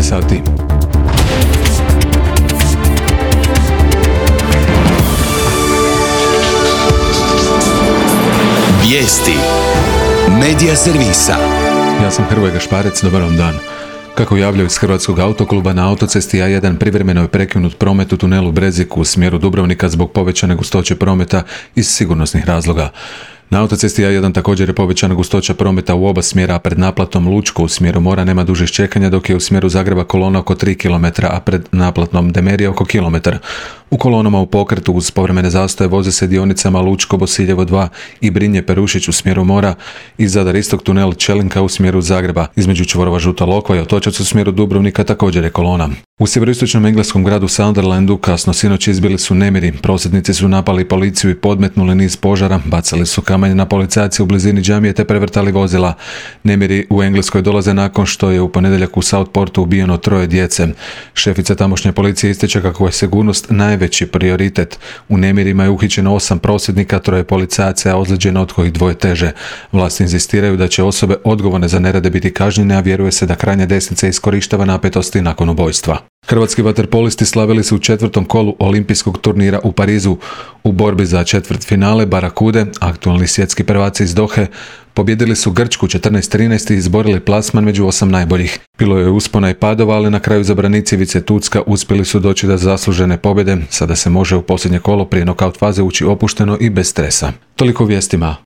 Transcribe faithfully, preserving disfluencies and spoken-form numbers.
sati. Vijesti Medija servisa. Ja sam Hrvoje Gašparec, dobar vam dan. Kako javljaju iz Hrvatskog autokluba, na autocesti A jedan privremeno je prekinut promet u tunelu Breziku u smjeru Dubrovnika zbog povećane gustoće prometa iz sigurnosnih razloga. Na autocesti A jedan također je povećana gustoća prometa u oba smjera, a pred naplatom Lučko u smjeru Mora nema dužih čekanja, dok je u smjeru Zagreba kolona oko tri kilometra, a pred naplatnom Demerija oko kilometar. U kolonama u pokretu uz povremene zastoje voze se dionicama Lučko, Bosiljevo dva i Brinje Perušić u smjeru Mora i Zadar Istok tunel Čelinka u smjeru Zagreba. Između čvorova Žuta Lokva i Otočac u smjeru Dubrovnika također je kolona. U sjeveroistočnom engleskom gradu Sunderlandu kasno sinoć izbili su nemiri. Prosvjednici su napali policiju i podmetnuli niz požara, bacali su kamenje na policajce u blizini džamije te prevrtali vozila. Nemiri u Engleskoj dolaze nakon što je u ponedjeljak u Southportu ubijeno troje djece. Šefica tamošnje policije ističe kako je sigurnost najveći prioritet. U nemirima je uhićeno osam prosvjednika, troje policajaca, a ozlijeđeno od kojih dvoje teže. Vlasti inzistiraju da će osobe odgovorne za nerede biti kažnjene, a vjeruje se da krajnja desnica iskorištava napetosti nakon ubojstva. Hrvatski vaterpolisti slavili su u četvrtom kolu olimpijskog turnira u Parizu. U borbi za četvrtfinale Barakude, aktualni svjetski prvaci iz Dohe, pobjedili su Grčku četrnaest trinaest i izborili plasman među osam najboljih. Bilo je uspona i padova, ali na kraju zabranici Ivice Tucka uspjeli su doći do zaslužene pobjede. Sada se može u posljednje kolo prije nokaut faze ući opušteno i bez stresa. Toliko u vijestima.